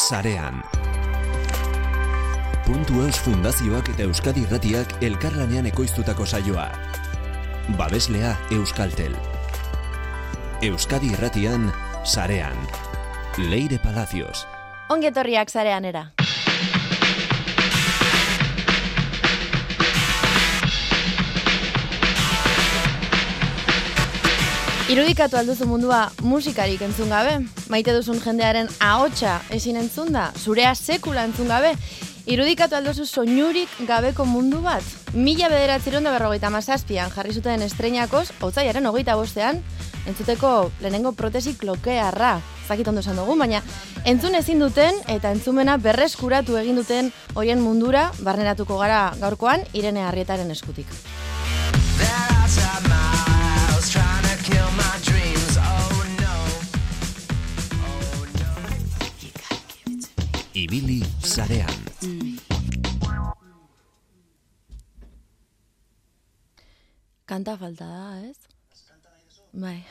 sarean. Puntu.eus Fundazioak eta Euskadi Irratiak elkarlanean ekoiztutako saioa. Babeslea Euskaltel. Euskadi Irratian sarean. Leire Palacios. Ongetorriak sareanera. Irudikatu alduzu mundua musikarik entzun gabe? Maite duzun jendearen ahotsa ezin entzun da? Zurea sekula entzun gabe? Irudikatu alduzu soinurik gabeko mundu bat? 1957an jarri zuten estreinakoz, otsailaren 25ean, entzuteko lehenengo protesi klokearra. Zakit ondo esan dugu, baina entzun ezin duten eta entzumena berreskuratu egin duten horien mundura barneratuko gara gaurkoan Irene Arrietaren eskutik. Ibili sarean. Kanta falta da, ez? Bai.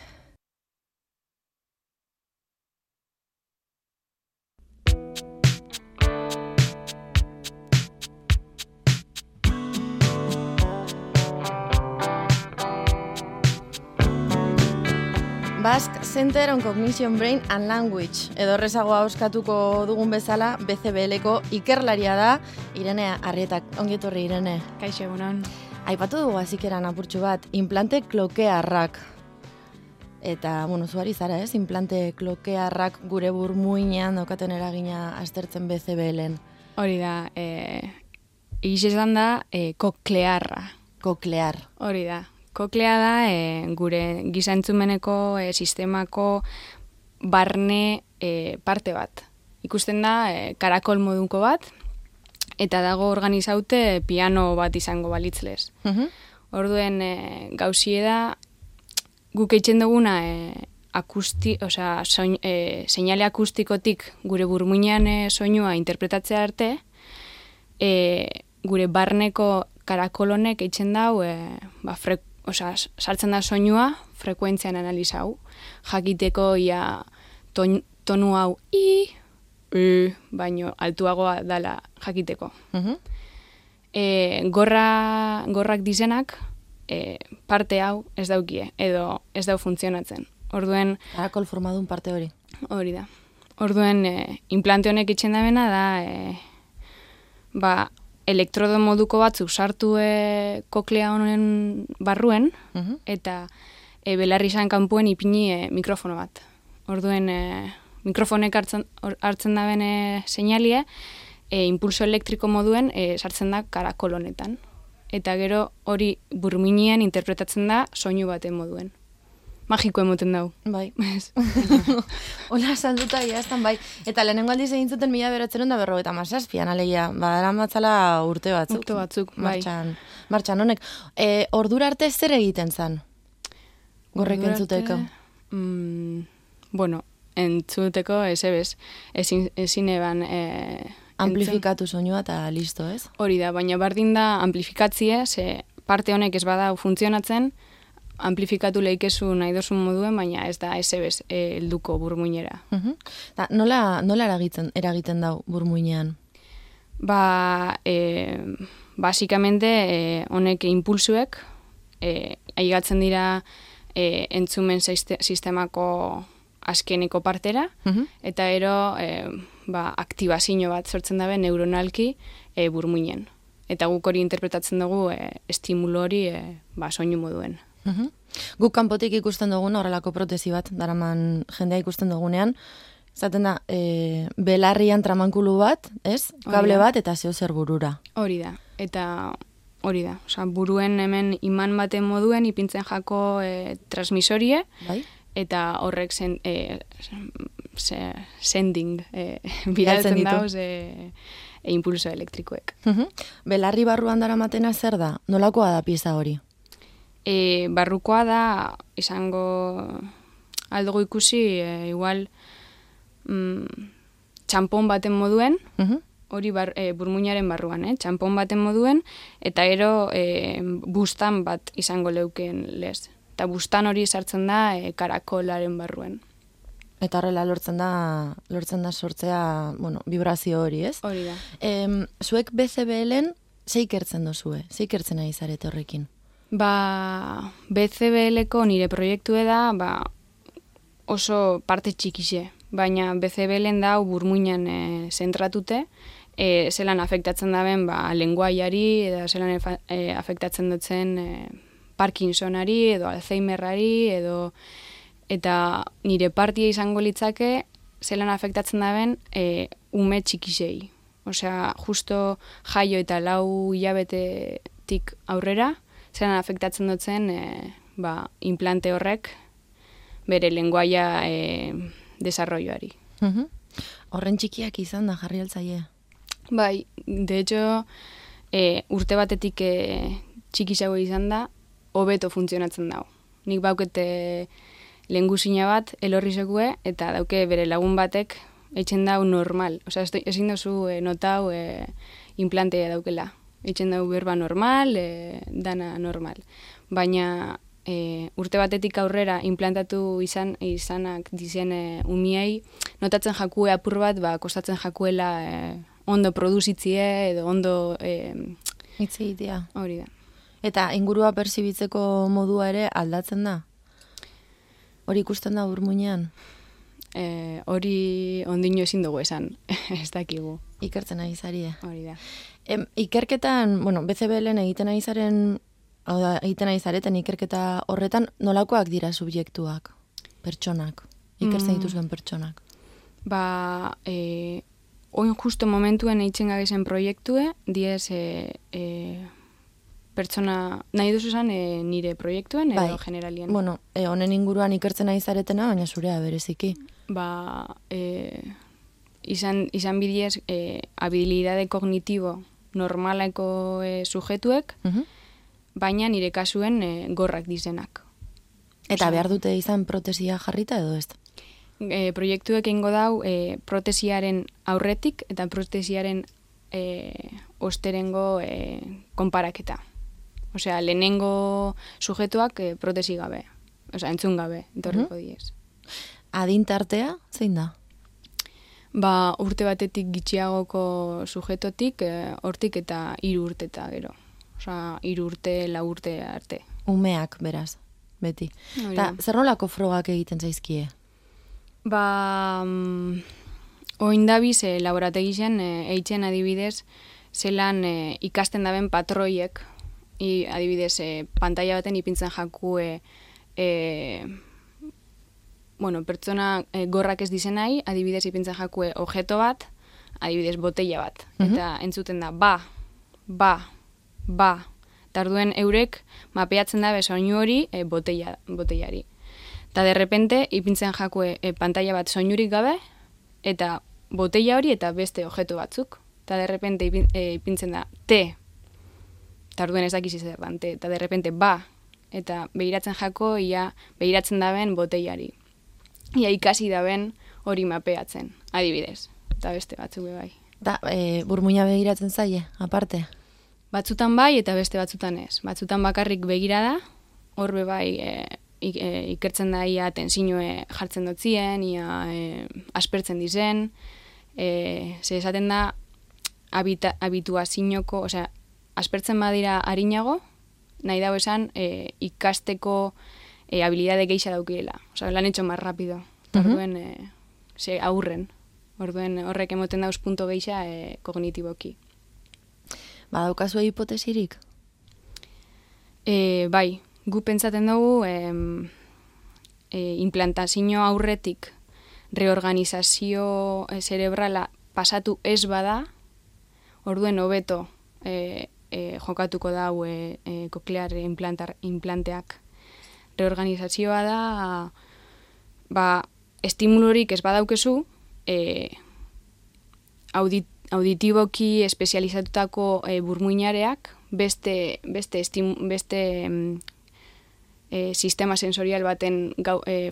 Basque Center on Cognition, Brain and Language, edo errezagoa oskatuko dugun bezala, BCBL-ko ikerlaria da, Irene Arrietak. Ongietorri, Irene. Kaixo, egunon. Aipatu dugu azikeran apurtxu bat, implante klokearrak. Eta, zuari zara, ez? Implante klokearrak gure burmuinean daukaten eragina aztertzen BCBL-en. Hori da, egiz esan da, koklearra. Koklear. Hori da. Koklea da gure giza entzumeneko sistemako barne parte bat. Ikusten da karakol moduko bat, eta dago organizaute piano bat izango balitzlez. Orduen gauzie da, guk eitzen duguna seinale akustikotik gure burmuinean soinua interpretatzea arte, gure barneko karakol honek eitzen dau sartzen da soinua frekuentzian analizau, jakiteko tonu hau baino altuagoa dala jakiteko. Gorrak dizenak parte hau ez daukie, edo ez dau funtzionatzen. Orduen... Karakol formadun parte hori. Hori da. Orduen implante honek itxen dabena da, elektrodo moduko batzuk sartu koklea honen barruen, eta belarri izan kanpuen ipini mikrofono bat. Orduen mikrofonek hartzen da bene seinalie, impulso elektriko moduen sartzen da karakol honetan. Eta gero hori burmuinean interpretatzen da soinu baten moduen. Magiko emoten dau. Bai. Hola, salduta iaztan, bai. Eta lehenengo aldiz egin zuten 1957an, alegia, badaran batzala urte batzuk. Urte batzuk, bai. Martxan honek. Ordura arte zer egiten zan? Gorrek entzuteko? Entzuteko ezebez. Ezin eban... Amplifikatu soinua eta listo, ez? Hori da, baina bardin da amplifikatzie, ze parte honek ez bada funtzionatzen, amplifikatu lehikezu nahi dozun moduen, baina ez da ezebez helduko burmuinera. Nola eragiten dau burmuinean? Basikamente, honek impulsuek, aigatzen dira entzumen sistemako azkeneko partera, eta ero aktibazio bat sortzen dabe neuronalki burmuinen. Eta guk hori interpretatzen dugu estimulo hori soinu moduen. Guk kanpotik ikusten dugun horrelako protesi bat, daraman jendea ikusten dugunean, zaten da, belarrian tramankulu bat, ez? Kable bat eta zeo zer burura. Hori da, eta hori da. Buruen hemen iman baten moduen ipintzen jako transmisorie, eta horrek sending bidaltzen dauz impulso elektrikoek. Belarri barruan daramatena zer da? Nolakoa da pieza hori? Barrukoa da, izango aldugu ikusi, igual txampon baten moduen, hori burmuinaren barruan, txampon baten moduen, eta ero bustan bat izango leuken lez. Eta bustan hori sartzen da karakolaren barruen. Eta horrela lortzen da sortzea, vibrazio hori, ez? Hori da. Zuek BCBL-en ze ikertzen dozue? Ze ikertzen ari zarete horrekin? BCBL-eko nire proiektue da, oso parte txikixe, baina BCBL-en da burmuinan zentratute, zelan afektatzen daben lenguaiari, edo zelan afektatzen dutzen Parkinsonari, edo Alzheimerrari, eta nire partia izango litzake zelan afektatzen daben ume txikisei. Osea, justo jaio eta 4 hilabetetik aurrera, zelan afektatzen dutzen implante horrek bere lenguaia desarrolloari. Horren txikiak izan da jarri altzaie? Bai, de hecho, urte batetik txikisago izan da, hobeto funtzionatzen dago. Nik baukete lehengusina bat, elorrizekue, eta dauke bere lagun batek eitzen dau normal. Osea, ezin dozu notau implantea daukela. Eitzen dau berba normal, dana normal. Baina urte batetik aurrera implantatu izanak dizen umiei, notatzen jakue apur bat, kostatzen jakuela ondo produzitzie edo ondo hitz egitea. Hori da. Eta ingurua perzibitzeko modua ere aldatzen da? Hori ikusten da burmuinean? Hori ondino ezin dugu esan, ez dakigu. Ikertzen ari zarie. Hori da. Ikerketan, BCBL-en egiten ari zareten ikerketa horretan, nolakoak dira subjektuak, pertsonak, ikertzen dituzuen pertsonak? Oin justo momentuen eitzen gabezen proiektue, diez pertsona, nahi duzu esan nire proiektuen edo generalien? Honen inguruan ikertzen ari zaretena, baina zurea bereziki. Izan bidiez habilidade kognitibo normaleko sujetuek, baina nire kasuen gorrak dizenak. Eta behar dute izan protesia jarrita edo ez? Proiektuek eingo dau protesiaren aurretik eta protesiaren osterengo konparaketa. Osea, lehenengo sujetuak protesi gabe, osea, entzun gabe, etorriko diez. Adintartea, zein da? Urte batetik gitxiagoko sujetotik, hortik eta 3 urte eta gero. Osea, 3 urte, 4 urte arte. Umeak, beraz, beti. Eta zer nolako frogak egiten zaizkie? Oindabiz laborategien eitzen adibidez, zelan ikasten daben patroiek, adibidez, pantalla baten ipintzen jakue pertsona gorrak ez dizenai, adibidez ipintzen jakue objeto bat, adibidez botella bat. Eta entzuten da, Tarduen eurek mapeatzen da soinu hori botellari. Eta derrepente ipintzen jakue pantalla bat soinurik gabe, eta botella hori eta beste objeto batzuk. Eta derrepente ipintzen da te, tarduen ez dakiz zer dan, eta derrepente eta behiratzen jako, behiratzen daben botellari. Ia ikasi daben hori mapeatzen, adibidez. Eta beste batzuk bai. Da, burmuina begiratzen zaie, aparte? Batzutan bai eta beste batzutan ez. Batzutan bakarrik begira da, horbe bai ikertzen da ia tensioe jartzen dotzien, ia aspertzen dizen, ze esaten da habituazinoko, osea, aspertzen badira harinago, nahi dago esan ikasteko habilidade geixa daukirela. Osea, lan etxo más rapido. Orduen, ze aurren. Orduen horrek emoten dauz punto geixa kognitiboki. Badaukazu hipotesirik? Bai, gu pentsaten dugu implantazio aurretik reorganizazio cerebrala pasatu ez bada, orduen hobeto jokatuko dau koklear implanteak. Reorganizazioa da, estimulurik ez badaukezu, auditiboki espezializatutako burmuinareak beste sistema sensorial baten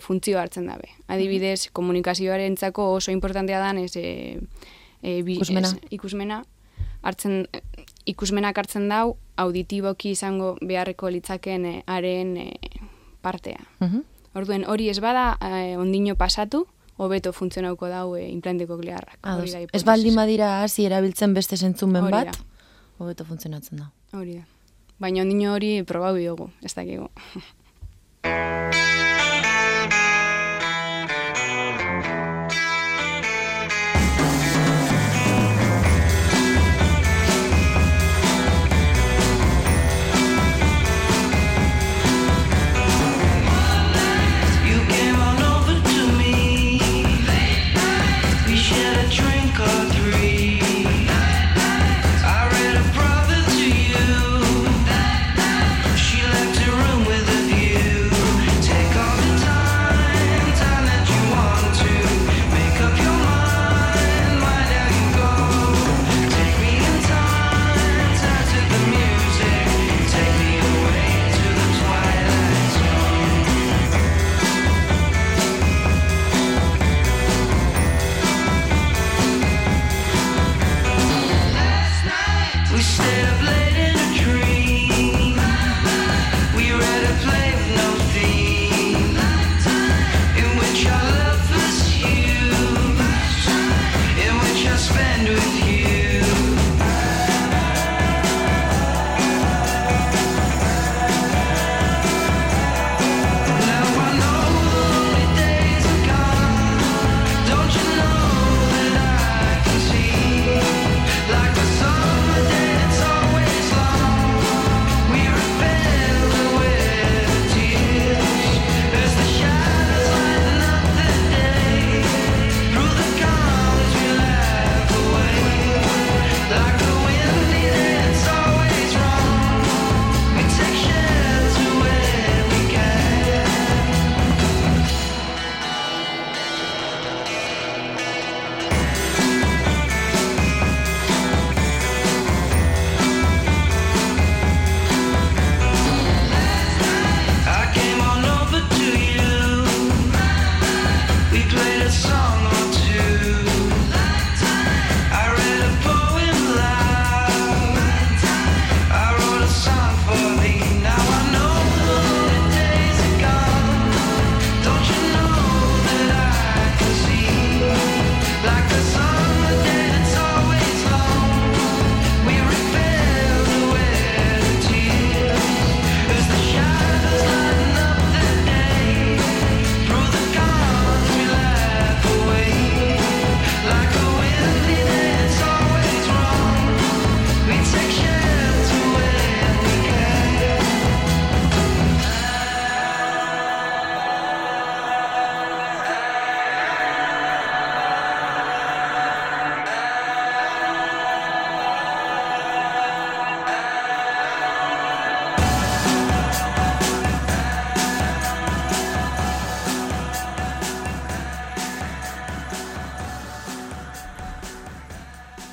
funtzio hartzen dabe. Adibidez, komunikazioarentzako oso importantea dan ikusmena. Ikusmenak hartzen dau, auditiboki izango beharreko litzaken haren partea. Orduen hori ez bada ondino pasatu, hobeto funtzionauko dau implante koklearrak. Ez baldin badira hasi erabiltzen beste zentzumen bat, hobeto funtzionatzen da. Hori da. Baina ondino hori probau diogu, ez dakigu.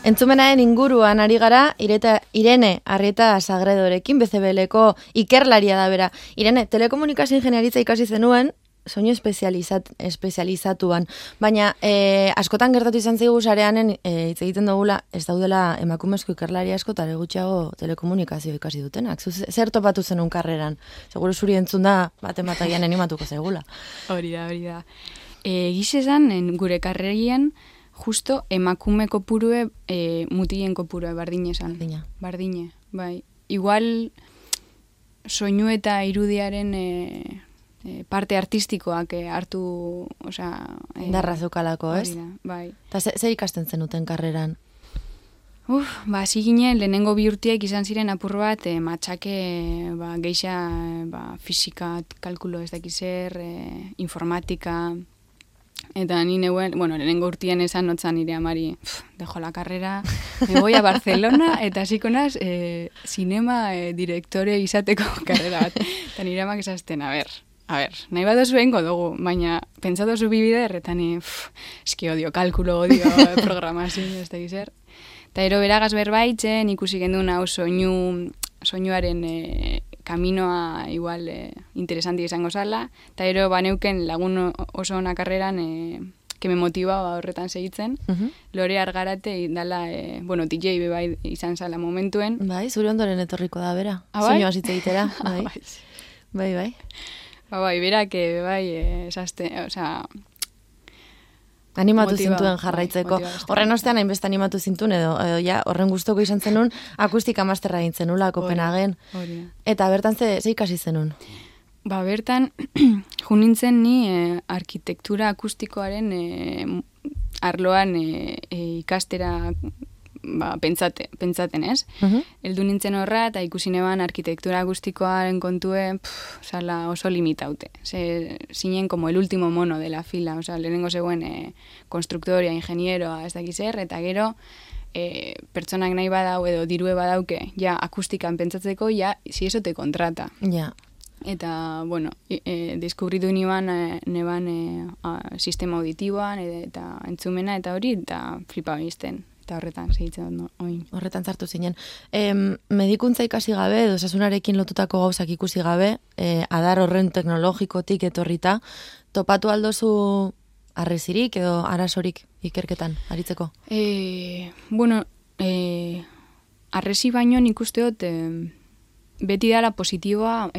Entzumenaren inguruan ari gara, Irene Arrieta Sagredorekin, BCBLeko ikerlaria da bera. Irene, telekomunikazio ingeniaritza ikasi zenuen, soinu espezializatuan. Baina askotan gertatu izan zaigu sareanen hitz egiten dugula, ez daudela emakumezko ikerlaria asko eta gutxiago telekomunikazio ikasi dutenak. Zer topatu zenun karreran? Seguro zuri entzun da baten animatuko zaigula. Hori da. Gizezan, gure karrerian, justo emakume kopurue, mutilen kopurue, bardine esan. Bardine, bai. Igual, soinu eta irudiaren parte artistikoak hartu, indarra zeukalako, ez? Bai. Eta zer ikasten zenuten karreran? Hasi ginen, lehenengo bi urtiek izan ziren apur bat, matxake, geixa, fisika, kalkulo ez dakizer, informatika. Eta ni neuen, lehenengo urtien esan notzan nire amari, dejo la carrera, me voy a Barcelona, eta hasiko naz, cinema direktore izateko karrera bat. Eta nire amak esazten, a ver, nahi bat oso egingo dugu, baina pentsatu zu bibider, eta ni, eski odio kalkulo, odio programazio, ez da gizer. Eta ero beragaz berbaitzen, ikusi gendun hau soinuaren kaminoa igual interesanti izango zala, eta ero baneuken lagun oso ona karreran que me motiva horretan segitzen. Lore Argarate dala, DJ bebai izan zala momentuen. Bai, zure ondoren etorriko da bera. Soinua zitze egitera. Bai. Bai, berak bebai esazte, Animatu zintuen jarraitzeko. Horren ostean hainbeste animatu zintuen edo ja, horren gustoko izan zenun akustika masterra egin zenula Kopenhagen. Eta bertan ze ikasi zenun? Ba, bertan, junintzen ni arkitektura akustikoaren arloan ikastera pentsaten, ez? Heldu nintzen horra eta ikusi neban arkitektura akustikoaren kontue oso limitaute. Zinen como el último mono de la fila, lehenengo zegoen konstruktoria, ingenieroa, ez dakiz eta gero pertsonak nahi badau edo dirue badauke, ja akustikan pentsatzeko, ja, si eso te contrata. Ja. Eta, bueno, deskubritu neban sistema auditiboan eta entzumena eta hori, eta flipa bizten. Eta horretan segitzen oin. Horretan sartu zinen. Medikuntza ikasi gabe, edo osasunarekin lotutako gauzak ikusi gabe, adar horren teknologikotik etorrita, topatu aldozu arrezirik edo arazorik ikerketan aritzeko? Bueno, arrezi baino nik usteot beti dala positiboa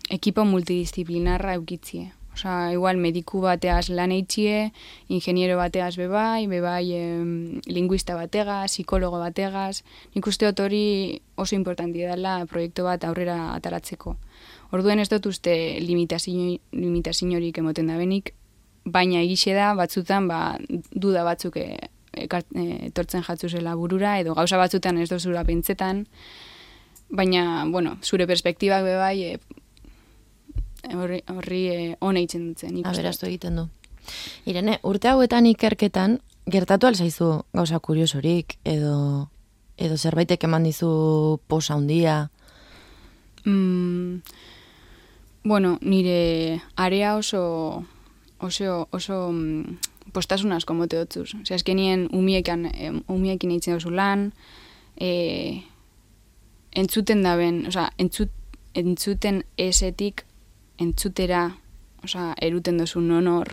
ekipo multidisciplinarra eukitzie. Igual mediku bateaz lan eitxie, ingeniero bateaz bebai, linguista bategaz, psikologo bategaz. Nik usteot hori oso importanti dela proiektu bat aurrera ataratzeko. Orduen ez dut uste limitaziorik emoten da benik, baina egixe da batzutan duda batzuk etortzen jatzuzela burura, edo gauza batzutan ez dozura pentsetan, baina, bueno, zure perspektibak bebai horri hona itzen dutzen. Aberastu egiten du. Irene, urte hauetan ikerketan, gertatu alzaizu gauza kuriosorik, edo zerbaitek eman dizu posa handia? Bueno, nire area oso postasun asko mote dotzuz. Azkenien umiekin eitzen dozu lan, entzuten daben, entzuten esetik entzutera, eruten dozu nonor,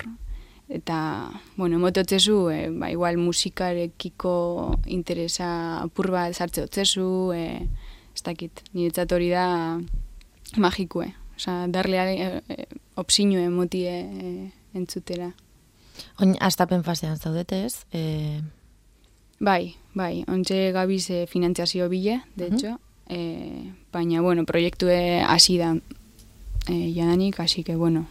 eta, bueno, emototzezu, igual musikarekiko interesa apur bat sartze otzezu, ez dakit, niretzat hori da magikue. Darle opsinue emotie entzutera. Oin, astapen fasean zaudete ez? Bai, ontxe gabiz finantziazio bile, de hecho, baina, bueno, proiektue hasi da jadanik, así que, bueno,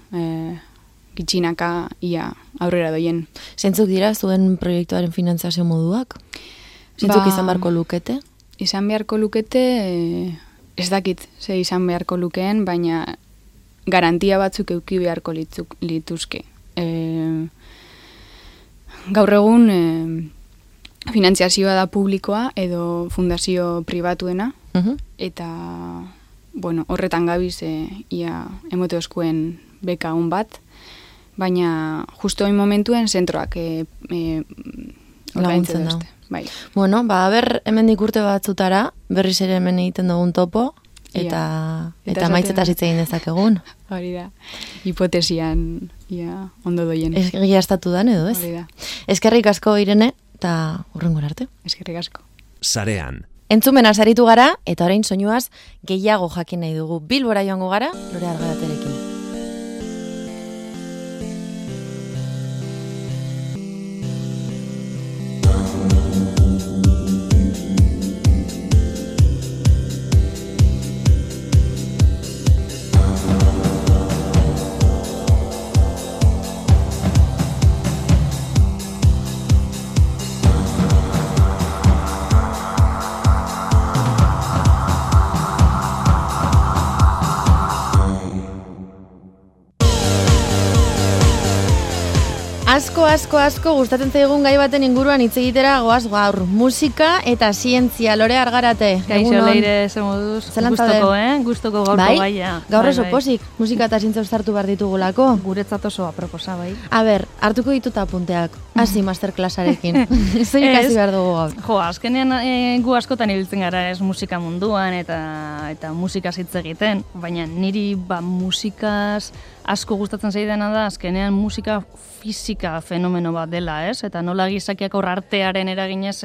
gitxinaka ia aurrera doien. Zentzuk dira zuen proiektuaren finantziazio moduak? Zentzuk izan beharko lukete? Izan beharko lukete, ez dakit ze izan beharko lukeen, baina garantia batzuk euki beharko lituzke. Gaur egun finantziazioa da publikoa edo fundazio pribatuena, eta bueno, horretan gabiz ia emote oskuen beka hon bat, baina justo oin momentuen zentroak laguntzen da. Bai. Bueno, hemendik urte batzutara, berriz ere hemen egiten dugun topo, eta maitzeta hitz egin dezakegun. Hori da, hipotesian ia ondo doien. Egia estatu dan edo, ez? Hori da. Eskerrik asko, Irene, eta hurrengo arte. Eskerrik asko. Sarean. Entzumena saritu gara, eta orain soinuaz gehiago jakin nahi dugu. Bilbora joango gara, Lore Argaraterekin. Asko gustatzen zaigun gai baten inguruan hitz egitera goaz gaur. Musika eta zientzia. Lore Argarate. Gaixo leire, ze moduz. Gustoko, Gustoko gaurko gaia. Gaur oso posik. Musika eta zientzia uztartu behar ditugulako. Guretzat oso aproposa, bai. A ber, hartuko dituta apunteak. Hasi masterclassarekin. Zein ikasi behar dugu gaur. Jo, azkenean gu askotan ibiltzen gara ez musika munduan eta musikaz hitz egiten. Baina niri musikaz asko gustatzen zaidana da, azkenean musika fisika fenomeno bat dela, ez? Eta nola gizakiak hor artearen eraginez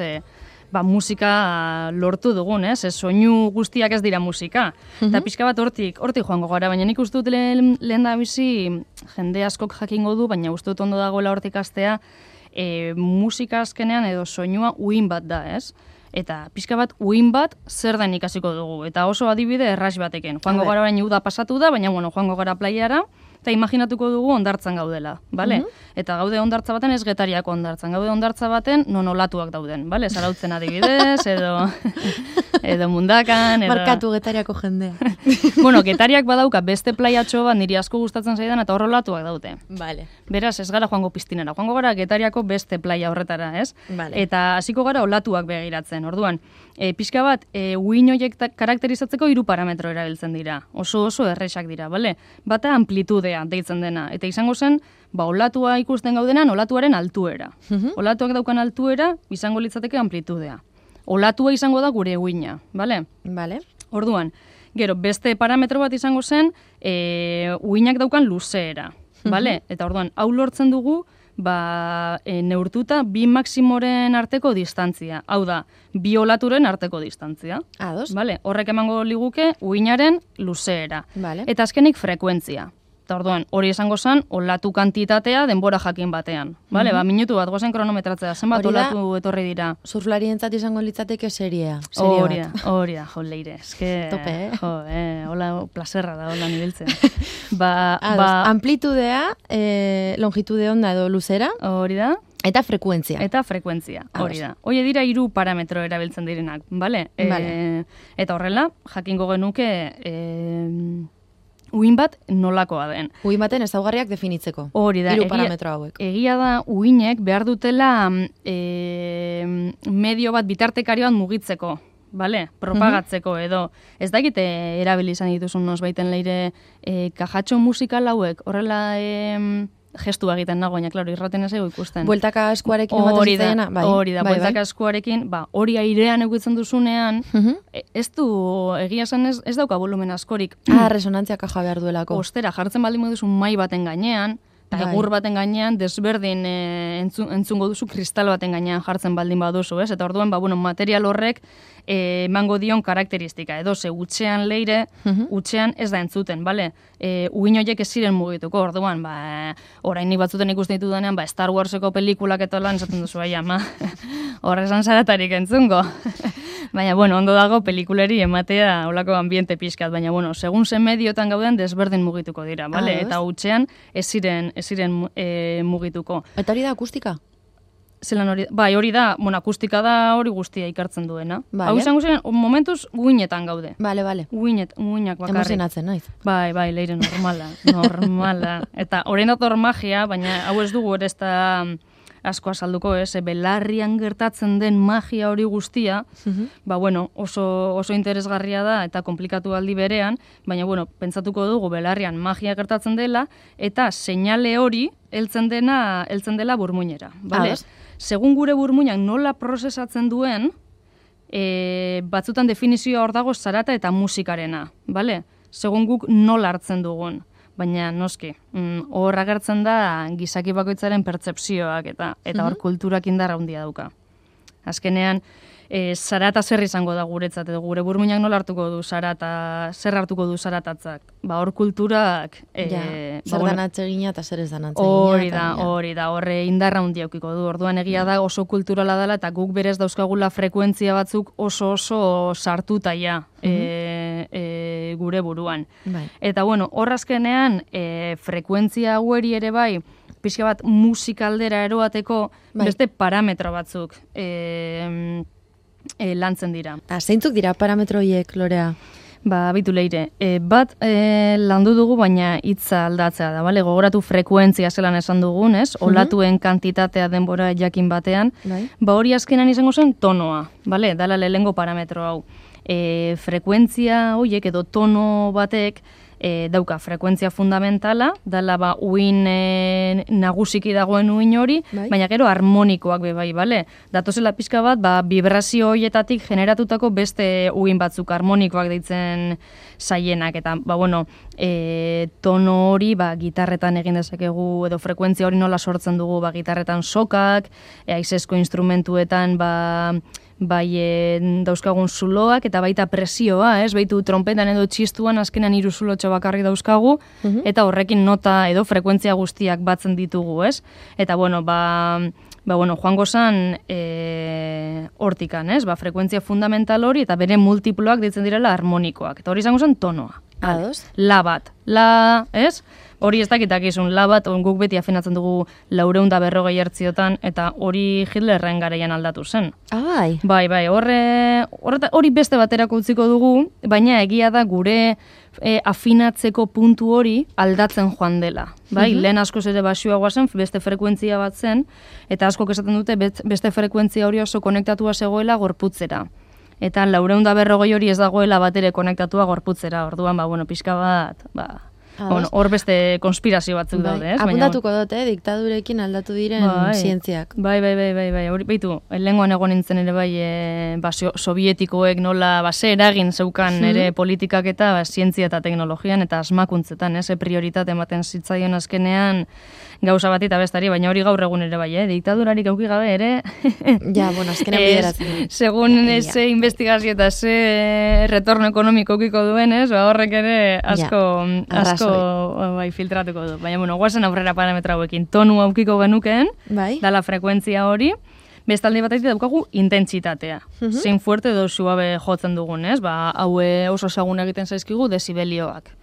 musika lortu dugun, ez? Soinu guztiak ez dira musika. Eta pixka bat hortik joango gara, baina nik uste dut lehen da bizi jende askok jakingo du, baina uste dut ondo dagoela hortik astea, musika azkenean edo soinua uin bat da, ez? Eta pixka bat uin bat zer den ikasiko dugu. Eta oso adibide erraz batekin. Joango gara baina uda pasatu da, baina joango gara playara, eta imaginatuko dugu hondartzan gaudela, bale? Eta gaude hondartza baten ez Getariako hondartzan, gaude hondartza baten non olatuak dauden, bale? Zarautzen adibidez, edo Mundakan, edo... Markatu Getariako jendea. Bueno, Getariak badauka beste playatxo bat niri asko gustatzen zaidan eta hor olatuak daude. Vale. Beraz, ez gara joango piztinera, joango gara Getariako beste playa horretara, ez? Vale. Eta hasiko gara olatuak begiratzen, orduan. Pixka bat, uin horiek karakterizatzeko 3 parametro erabiltzen dira. Oso erresak dira, bale? Bata amplitudea deitzen dena. Eta izango zen, olatua ikusten gaudenan, olatuaren altuera. Olatuak daukan altuera, izango litzateke amplitudea. Olatua izango da gure uina, bale? Vale. Orduan, gero, beste parametro bat izango zen, uinak daukan luzeera, bale? Eta orduan, hau lortzen dugu, neurtuta 2 maximoren arteko distantzia. Hau da, 2 olaturen arteko distantzia. Ados. Vale, horrek emango liguke uinaren luzeera. Vale. Eta azkenik frekuentzia. Eta orduan, hori esango zen, olatu kantitatea denbora jakin batean. Vale, minutu bat, gozen kronometratzea, zenbat olatu etorri dira. Surflarientzat izango litzateke seria. Hori da, jo, leire. Eske, tope, hola, placerra da, hola nibiltzen. Amplitudea, longitude onda edo luzera. Hori da. Eta frekuentzia. Hori da. Hoi dira 3 parametro erabiltzen direnak, bale? Eta horrela, jakingo genuke... uin bat nolakoa den. Uin baten ezaugarriak definitzeko. Hori da. 3 parametro hauek. Egia da, uinek behar dutela medio bat bitartekarioan mugitzeko, bale? Propagatzeko edo. Ez dakite erabili izan dituzun baiten leire kajatxo musikal hauek, horrela gestu egiten nago, baina, klaro, irraten ez ego ikusten. Bueltaka eskuarekin ematen zitzaiena? Hori da, bueltaka eskuarekin, hori airean egutzen duzunean, ez du, egia zen ez dauka volumen askorik. Resonantzia kaja behar duelako. Ostera, jartzen baldin duzu mai baten gainean, eta egur baten gainean, desberdin entzungo duzu kristal baten gainean jartzen baldin baduzu, ez? Eta orduan, material horrek emango dion karakteristika. Edo ze utxean leire, utxean ez da entzuten, bale? Uin horiek ez ziren mugituko, orduan, orainik batzuten ikusten ditu denean, Star Warseko pelikulak eta lan esaten duzu, horrezan zaratarik entzungo. Baina, ondo dago pelikuleri ematea olako ambiente pixkat, baina, segun zen mediotan gauden desberdin mugituko dira, bale? Eta utxean ez ziren mugituko. Eta hori da akustika? Zelan hori, hori da, akustika da hori guztia ikartzen duena. Hau izango ziren, momentuz guinetan gaude. Bale. Guinak bakarrik. Emozionatzen, naiz. Bai, leire normala. Eta horrein dator magia, baina hau ez dugu ere ez da asko azalduko, belarrian gertatzen den magia hori guztia, oso interesgarria da eta komplikatu aldi berean, baina, pentsatuko dugu belarrian magia gertatzen dela, eta seinale hori heltzen dela burmuinera, bale? Segun gure burmuinak nola prozesatzen duen, batzutan definizioa hor dago zarata eta musikarena, bale? Segun guk nola hartzen dugun. Baina, noski, hor agertzen da gizaki bakoitzaren pertzepzioak eta hor kulturak indarra handia dauka. Azkenean, zarata zer izango da guretzat, edo gure burmuinak nola hartuko du zarata, zer hartuko du zaratatzak. Hor kulturak... zer danatzegina eta zer ez danatzegina. Hori da, horre indarra handia aukiko du. Orduan egia da oso kulturala dela eta guk berez dauzkagula frekuentzia batzuk oso sartuta gure buruan. Eta hor azkenean frekuentzia haueri ere bai, pixka bat musikaldera eroateko beste parametro batzuk lantzen dira. Zeintzuk dira parametro horiek, Lorea? Bitu leire. Bat landu dugu, baina hitza aldatzea da, bale? Gogoratu frekuentzia zelan esan dugun, ez? Olatuen kantitatea denbora jakin batean. Hori azkenan izango zen tonoa, bale? Dala lehengo parametro hau. Frekuentzia horiek edo tono batek dauka frekuentzia fundamentala, dala uin nagusiki dagoen uin hori, baina gero harmonikoak bai, bale? Datozela pixka bat, vibrazio horietatik generatutako beste uin batzuk harmonikoak deitzen zaienak, eta, tono hori, gitarretan egin dezakegu, edo frekuentzia hori nola sortzen dugu, gitarretan sokak, haizezko instrumentuetan, dauzkagun zuloak, eta baita presioa, baitu trompetan edo txistuan azkenan 3 zulotxo bakarrik dauzkagu, eta horrekin nota edo frekuentzia guztiak batzen ditugu, Eta, joango zan hortikan, ez? Frekuentzia fundamental hori eta bere multiploak ditzen direla harmonikoak. Eta hori izango zen tonoa. Ados? La bat. La, ez? Hori ez dakitakizun, la bat, guk beti afinatzen dugu 440 hertziotan, eta hori Hitlerren garaian aldatu zen. Bai. Bai, hori beste baterako utziko dugu, baina egia da gure afinatzeko puntu hori aldatzen joan dela. Bai, lehen askoz ere baxuagoa zen, beste frekuentzia bat zen, eta askok esaten dute beste frekuentzia hori oso konektatua zegoela gorputzera. Eta 440 hori ez dagoela batere konektatua gorputzera, orduan, pixka bat, hor beste konspirazio batzuk daude, ez? Apuntatuko dut, diktadurekin aldatu diren zientziak. Bai, hori baitu, lehengoan egon nintzen ere sovietikoek nola ze eragin zeukan ere politikak eta zientzia eta teknologian eta asmakuntzetan, prioritate ematen zitzaion azkenean gauza bat eta bestari, baina hori gaur egun ere diktadurarik auki gabe ere azkenean bideratzen. Segun ze investigazio eta ze retorno ekonomiko aukiko duen, horrek ere asko filtratuko du. Baina, guazen aurrera parametra hauekin. Tonu aukiko genukeen, dala frekuentzia hori, bestalde bat daukagu intentsitatea. Zein fuerte edo suabe jotzen dugun, ez? Hau oso ezagun egiten zaizkigu desibelioak.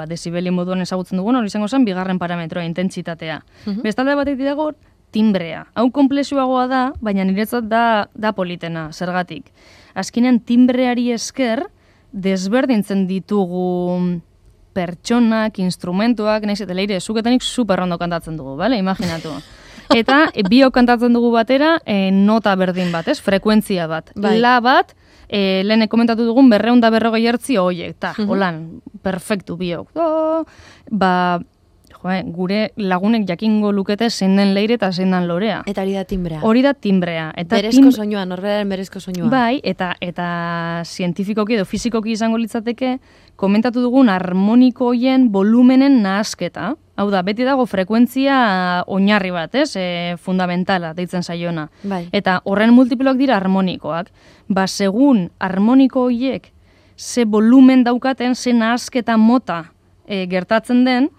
Desibelio moduan ezagutzen dugun, hori izango zen, bigarren parametroa, intentsitatea. Bestalde bat dago timbrea. Hau komplexuagoa da, baina niretzat da politena, zergatik. Azkenean timbreari esker, desberdintzen ditugu pertsonak, instrumentuak, nahiz eta leire, zuketanik superrondo kantatzen dugu, bale? Imaginatu. Eta biok kantatzen dugu batera, nota berdin bat, ez? Frekuentzia bat. La bat, lehen komentatu dugun 440 hertzio horiek, holan, perfektu biok. Gure lagunek jakingo lukete zein den leire eta zein den lorea. Eta hori da timbrea. Hori da timbrea. Berezko soinua, norberaren berezko soinua. Bai, eta zientifikoki edo fizikoki izango litzateke, komentatu dugun harmoniko hoien volumenen nahasketa. Hau da, beti dago frekuentzia oinarri bat, ez? Fundamentala, deitzen zaiona. Eta horren multiploak dira harmonikoak. Segun harmoniko hoiek ze volumen daukaten, ze nahasketa mota gertatzen den,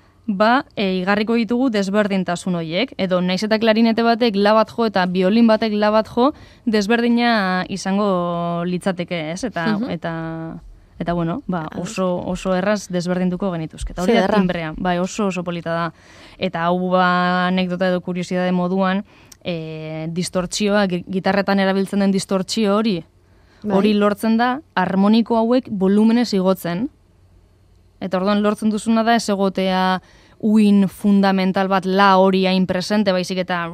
igarriko ditugu desberdintasun horiek, edo naiz eta klarinete batek la bat jo eta biolin batek la bat jo, desberdina izango litzateke, ez? Eta oso erraz desberdintuko genituzke. Eta hori da timbrea, oso polita da. Eta hau anekdota edo kuriosidade moduan, distortzioa, gitarretan erabiltzen den distortzio hori lortzen da, harmoniko hauek volumenez igotzen. Eta orduan lortzen duzuna da ez egotea uin fundamental bat la hori hain presente, baizik eta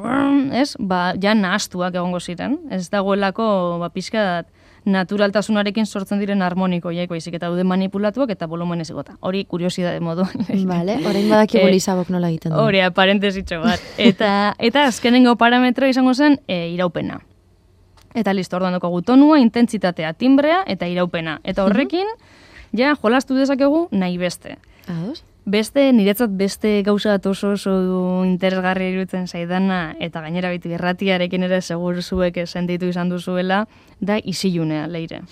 ja nahastuak egongo ziren. Ez dagoelako pixka naturaltasunarekin sortzen diren harmonikoiek, baizik eta daude manipulatuak eta volumenez igota. Hori kuriosidade moduan. Vale, orain badakigu Lisabok nola egiten du. Hori, parentesitxo bat. Eta azkenengo parametro izango zen iraupena. Eta listo, orduan dukagu tonua, intentsitatea, timbrea eta iraupena. Eta horrekin, ja, jolastu dezakegu nahi beste. Niretzat beste gauza bat oso interesgarri iruditzen zaidana, eta gainera bitu irratiarekin ere segur zuek sentitu izan duzuela, da isilunea, leire.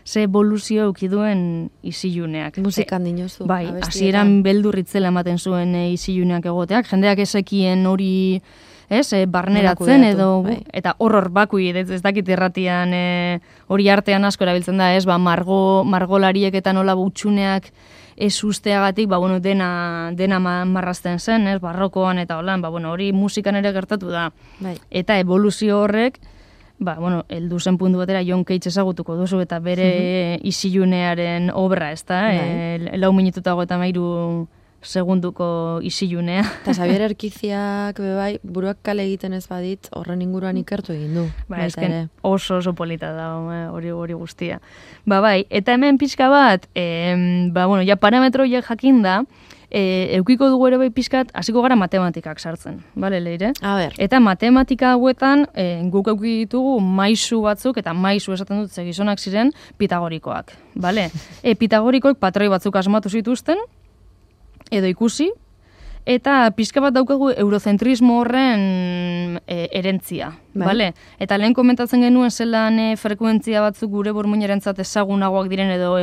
Ze evoluzio eukiduen isiluneak. Musikan dinozu. Bai, hasieran beldurritzela ematen zuen isiluneak egoteak, jendeak ezekien hori barneratzen edo, eta horror bakui, ez dakit irratian hori artean asko erabiltzen da, margolariek eta nola butxuneak ez usteagatik, dena marrazten zen, barrokoan eta holan, hori musikan ere gertatu da. Eta evoluzio horrek, heldu zen puntu batera John Cage ezagutuko duzu eta bere isilunearen obra, ez da, 4 minututa 33 segunduko isilunea. Eta Xabier Erkiziak buruak kale egiten ez badit, horren inguruan ikertu egin du. Oso polita da hori guztia. Eta hemen pixka bat, ja parametroiek jakinda, eukiko dugu ere pixkat, hasiko gara matematikak sartzen. Bale, leire? Eta matematika hauetan, guk euki ditugu maisu batzuk, eta maisu esaten dut gizonak ziren pitagorikoak. Pitagorikoek patroi batzuk asmatu zituzten, edo ikusi, eta pixka bat daukagu eurozentrismo horren erentzia, bale? Eta lehen komentatzen genuen zelan frekuentzia batzuk gure burmuinerentzat ezagunagoak diren edo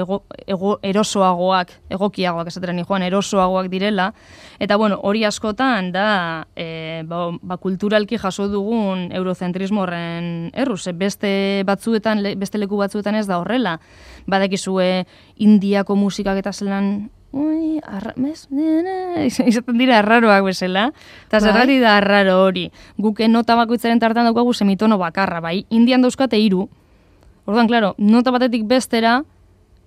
erosoagoak, egokiagoak esatera joan, erosoagoak direla, eta bueno, hori askotan da kulturalki jaso dugun eurozentrismo horren erruz, beste leku batzuetan ez da horrela, badakizue Indiako musikak eta zelan izaten dira arraroak bezala, eta zergati da arraro hori. Guk nota bakoitzaren tartan daukagu semitono bakarra, bai, Indian dauzkate 3. Orduan, klaro, nota batetik bestera,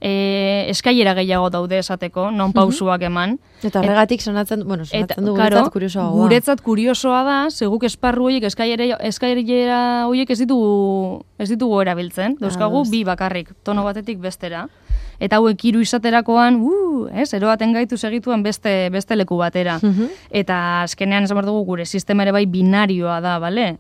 eskailera gehiago daude esateko, non pausuak eman. Eta horregatik sonatzen du guretzat kuriosoa. Guretzat kuriosoa da, seguk esparru horiek, eskailera horiek ez ditugu erabiltzen. Dauzkagu 2 bakarrik, tono batetik bestera. Eta hauek 3 izaterakoan, eroaten gaitu segituan beste leku batera. Eta azkenean esan behar dugu gure sistema ere bai binarioa da, bale?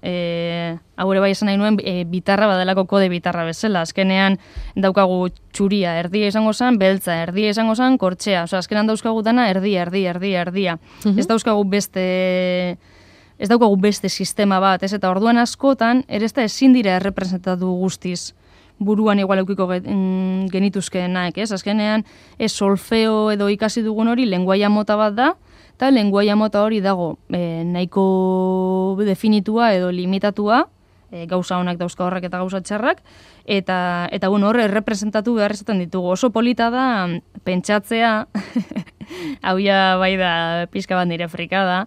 Hau ere bai esan nahi nuen bitarra badalako kode bitarra bezala. Azkenean daukagu txuria erdia izango zen, beltza erdia izango zen, kortxea. Osa, azkenean dauzkagu dana erdia. Ez daukagu beste sistema bat, ez? Eta orduan askotan, ere ez da ezin dira errepresentatu guztiz buruan igual eukiko genituzkeenak, ez? Azkenean, solfeo edo ikasi dugun hori lenguaia mota bat da, eta lenguaia mota hori dago nahiko definitua edo limitatua, gauza honak dauzka horrek eta gauza txarrak, eta bueno, horre errepresentatu behar izaten ditugu. Oso polita da pentsatzea, hau ja bai da pixka bat nire frikada,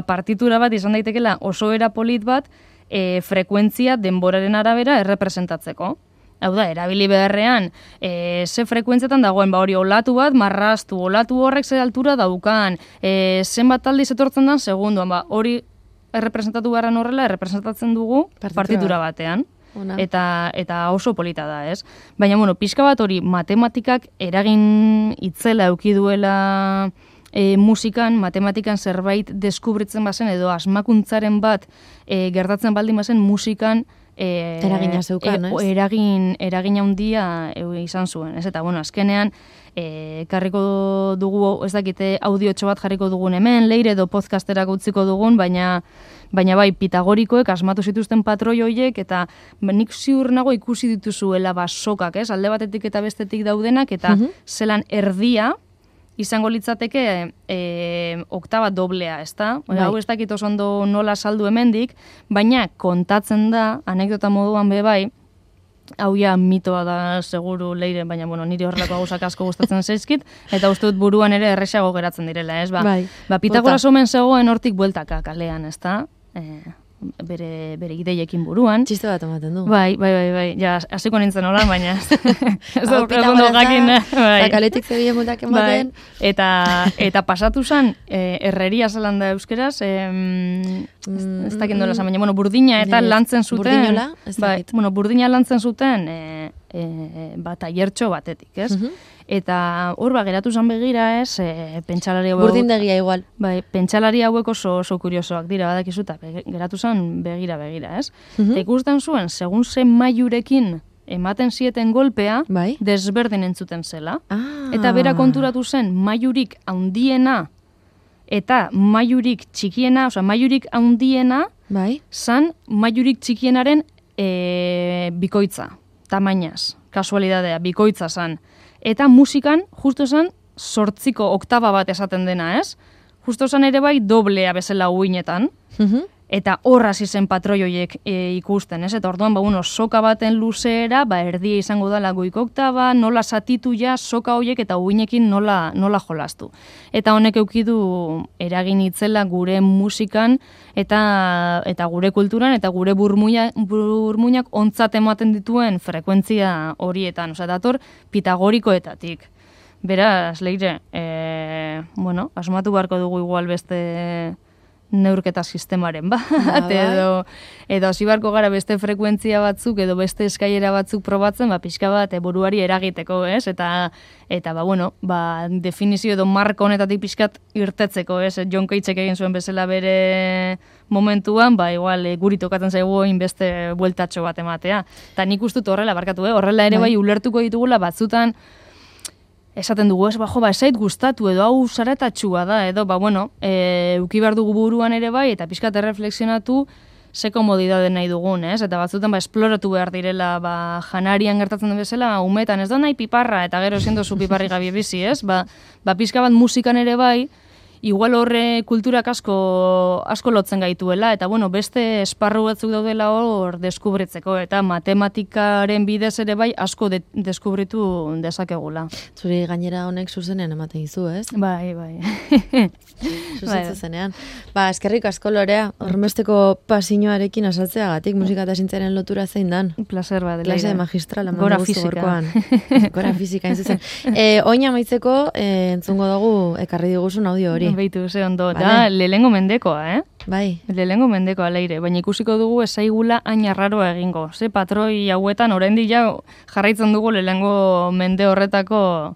partitura bat izan daitekela oso era polit bat frekuentzia denboraren arabera errepresentatzeko. Hau da, erabili beharrean, ze frekuentzetan dagoen, hori olatu bat, marraztu, olatu horrek ze altura daukan, zenbat aldiz etortzen dan segunduan, hori errepresentatu beharren horrela, errepresentatzen dugu partitura batean. Eta oso polita da, ez? Baina, bueno, pixka bat hori matematikak eragin itzela eduki duela musikan, matematikan zerbait deskubritzen bazen, edo asmakuntzaren bat gertatzen baldin bazen musikan eragina zeukan, ez? Eragin handia izan zuen, ez? Eta, bueno, azkenean, karriko dugu, ez dakite, audiotxo bat jarriko dugun hemen, leire edo podcasterak utziko dugun, baina bai, pitagorikoek asmatu zituzten patroi horiek, eta nik ziur nago ikusi dituzuela sokak, ez? Alde batetik eta bestetik daudenak, eta zelan erdia, izango litzateke oktaba doblea, ezta? Hau ez dakit oso ondo nola saldu hemendik, baina kontatzen da, anekdota moduan bai, hau ja mitoa da seguru leire, baina bueno, niri horrelako gauzak asko gustatzen zaizkit, eta uste dut buruan ere erresago geratzen direla, ez? Pitagoras omen zegoen hortik bueltaka kalean, ezta? Bere ideiekin buruan. Txiste bat ematen du. Bai. Ja, hasiko nintzen hola, baina ez da ondo jakin. Eta kaletik zebile mutak ematen. Eta pasatu zen, herreria zelan da euskeraz, ez dakit nola baina, bueno, burdina eta lantzen zuten. Burdinola? Bueno, burdina lantzen zuten taiertxo batetik, ez? Eta hor geratu zen begira, ez, pentsalari hauek... Burdindegia igual. Bai, pentsalari hauek oso kuriosoak dira, badakizu, eta geratu zen begira, ez? Eta ikusten zuen, segun zen mailurekin ematen zieten golpea, desberdin entzuten zela. Eta bera konturatu zen, mailurik handiena eta mailurik txikiena, oza, mailurik handiena, zan mailurik txikienaren bikoitza, tamainaz, kasualidadea, bikoitza zan. Eta musikan, justo esan, 8 oktaba bat esaten dena, ez? Justo esan ere bai, doblea bezala uinetan. Eta horraz izen patroi horiek ikusten, ez? Eta orduan, soka baten luzeera, erdia izango dela goiko oktaba, nola satitu ja, soka horiek eta uinekin nola jolastu. Eta honek eukidu eragin itzela gure musikan, eta gure kulturan, eta gure burmuinak ontzat ematen dituen frekuentzia horietan. Osa, dator pitagorikoetatik. Beraz, leire, asmatu beharko dugu igual beste neurketa sistemaren bat, edo hasi beharko gara beste frekuentzia batzuk, edo beste eskailera batzuk probatzen, pixka bat buruari eragiteko, ez? Eta definizio edo marko honetatik pixkat irtetzeko, ez? John Cageek egin zuen bezala bere momentuan, igual guri tokatzen zaigu beste bueltatxo bat ematea. Eta nik ustut horrela, barkatu, horrela ere bai ulertuko ditugula batzutan, esaten dugu, ez zait gustatu edo hau zaratatxua da, edo, uki behar dugu buruan ere bai, eta pixkat erreflexionatu ze komodidade nahi dugun, ez? Eta batzutan esploratu behar direla, janarian gertatzen den bezala, umetan ez da nahi piparra, eta gero siendo zu piparri gabi bizi, ez? Pixka bat musikan ere bai, igual horre kulturak asko lotzen gaituela, eta beste esparru batzuk daudela hor deskubritzeko, eta matematikaren bidez ere bai asko deskubritu dezakegula. Zuri gainera honek zuzenean ematen dizu, ez? Bai. Zuzitzu zenean. Eskerrik asko Lorea, hormesteko pasinoarekin asaltzeagatik, musika eta zintzaren lotura zein dan. Placer bat. Klase magistrala. Gora fizika. Gora fizika, zuzen. Oin amaitzeko, entzungo dugu ekarri diguzun audio hori. Beitu, ze ondo, da, lehengo mendekoa, Bai. Lehengo mendekoa leire, baina ikusiko dugu ezaigula hain arraroa egingo. Ze patroi hauetan oraindik jarraitzen dugu lehengo mende horretako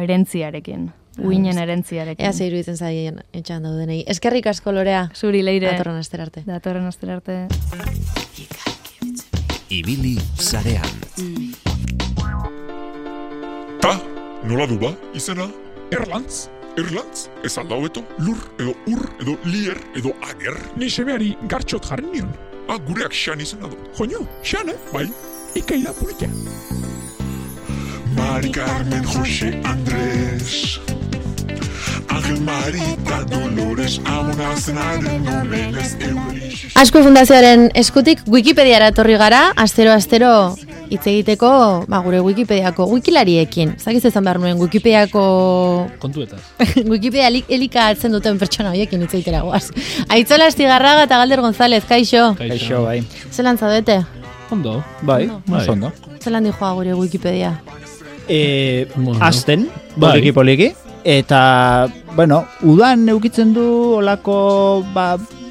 erentziarekin. Uinen erentziarekin. Ea zeiru itzen zaien etxan daudenei. Eskerrik asko Lorea. Zuri leire. Datorren asterarte. Ibili sarean. Nola du izena? Erlantz, ez alda hobeto, lur, edo ur, edo lier, edo ager. Ni semeari gartxot jarri nion. Gureak xan izena du. Joño, xan, bai, ikaila pulika. Mari Carmen, Jose Andrés, Angel Marita, Dolores, Amonazaren, Nomenes, Euris. Azkue Fundazioaren eskutik Wikipediara etorri gara, astero hitz egiteko, gure Wikipediako wikilariekin. Zagiz ezan behar nuen Wikipediako... Kontuetaz. Wikipedia elika atzen duten pertsona horiekin hitz egitera goaz. Aitzola Astigarraga eta Galder González, kaixo. Kaixo, bai. Zelan zaudete? Ondo, bai. Ondo. Zelan dijoa gure Wikipedia? Azten, poliki. Eta, udan eukitzen du olako,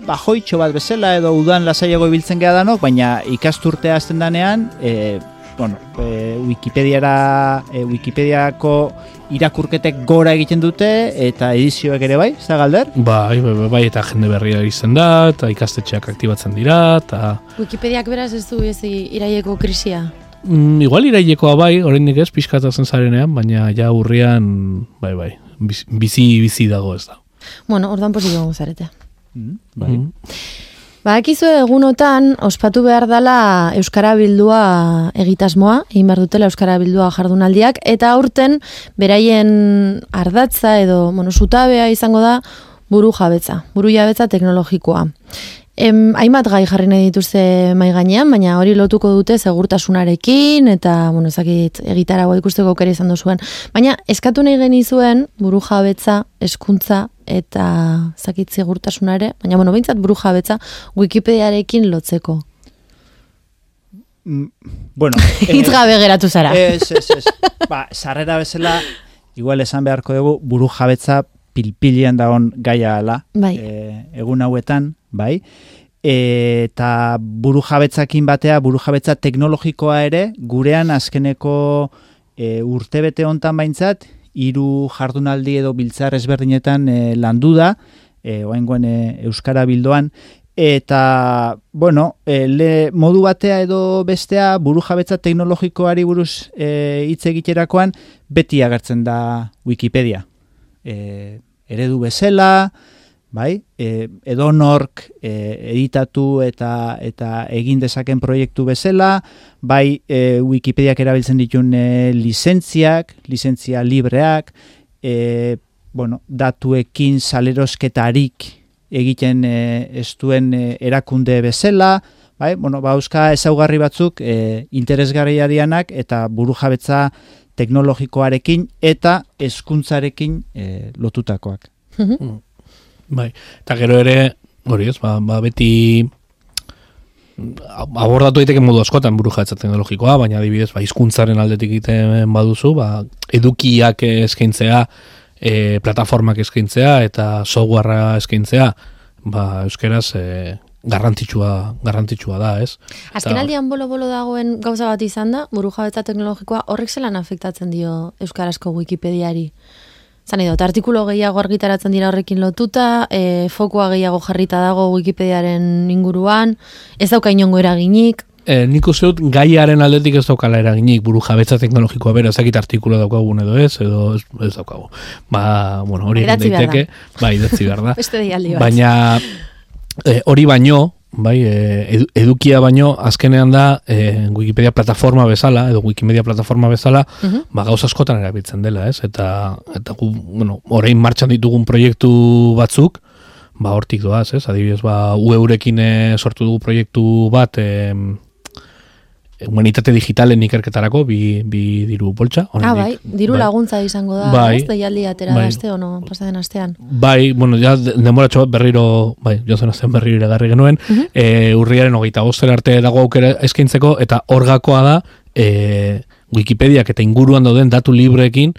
bajoitxo bat bezala edo udan lasaiago ibiltzen geha danok, baina ikasturtea azten danean, Wikipediako irakurketek gora egiten dute eta edizioek ere bai, ez da Galder? Bai, eta jende berria izan da, eta ikastetxeak aktibatzen dira, eta... Wikipediak beraz ez du iraieko krisia? Igual irailekoa bai, oraindik ez, pixkatatzen zarenean, baina ja urrian, bai, bizi dago ez da. Ordan posiko gozarete. Bai. Akizu egunotan, ospatu behar dela Euskara Bildua egitasmoa, egin behar dutela Euskara Bildua jardunaldiak, eta aurten beraien ardatza edo zutabea izango da buru jabetza teknologikoa. Hainbat gai jarri nahi dituzte mai gainean, baina hori lotuko dute segurtasunarekin, eta, ezakit, egitaragoa ikusteko aukera izan duzuen. Baina, eskatu nahi genizuen buru jabetza, hezkuntza eta zakit segurtasunare, baina, behintzat buru jabetza Wikipediarekin lotzeko. Hitz gabe geratu zara. Ez. Sarrera bezala, igual esan beharko dugu, buru jabetza pilpilian dagoen gaia ala. Bai. Egun hauetan, bai. Eta buru jabetzakin batea, buru jabetza teknologikoa ere, gurean azkeneko urtebete hontan baintzat, 3 jardunaldi edo biltzar ezberdinetan landu da, oraingoen Euskara Bildoan, eta, modu batea edo bestea buru jabetza teknologikoari buruz hitz egiterakoan, beti agertzen da Wikipedia. Eredu bezala, bai, edonork editatu eta egin dezaken proiektu bezala, bai, Wikipediak erabiltzen ditun lizentzia libreak, datuekin salerosketarik egiten ez duen erakunde bezala, bai, euska ezaugarri batzuk interesgarriarianak eta burujabetza teknologikoarekin eta hezkuntzarekin lotutakoak. Bai, eta gero ere, hori ez, beti abordatu daiteke modu askotan burujabetza teknologikoa, baina adibidez, hizkuntzaren aldetik egiten baduzu, edukiak eskaintzea, plataformak eskaintzea eta softwarea eskaintzea, euskeraz garrantzitsua da, ez? Azkenaldian bolo-bolo dagoen gauza bat izan da, burujabetza teknologikoa horrek zelan afektatzen dio euskarazko Wikipediari? Zan edo, artikulo gehiago argitaratzen dira horrekin lotuta, fokoa gehiago jarrita dago Wikipediaren inguruan, ez dauka inongo eraginik, nik uste dut gaiaren aldetik ez daukala eraginik burujabetza teknologikoa bera, ezakit artikulo daukagun edo ez daukagu. Bueno, hori egin daiteke, idatzi behar da. Beste deialdi bat. Baina hori baino, edukia baino, azkenean da Wikipedia plataforma bezala, edo Wikimedia plataforma bezala, gauza askotan erabiltzen dela, ez? Eta bueno, orain martxan ditugun proiektu batzuk, hortik doaz, ez? Adibidez, UEurekin sortu dugu proiektu bat, humanitate digitalen ikerketarako, bi diru poltsa. Diru laguntza izango da, ez? Deialdi atera da aste, ono, pasaden astean. Bueno, ja, demoratxo bat berriro, jozen astean berriro iragarri genuen, urriaren 25 arte dago aukera eskaintzeko, eta orgakoa da, Wikipediak eta inguruan dauden datu libreekin,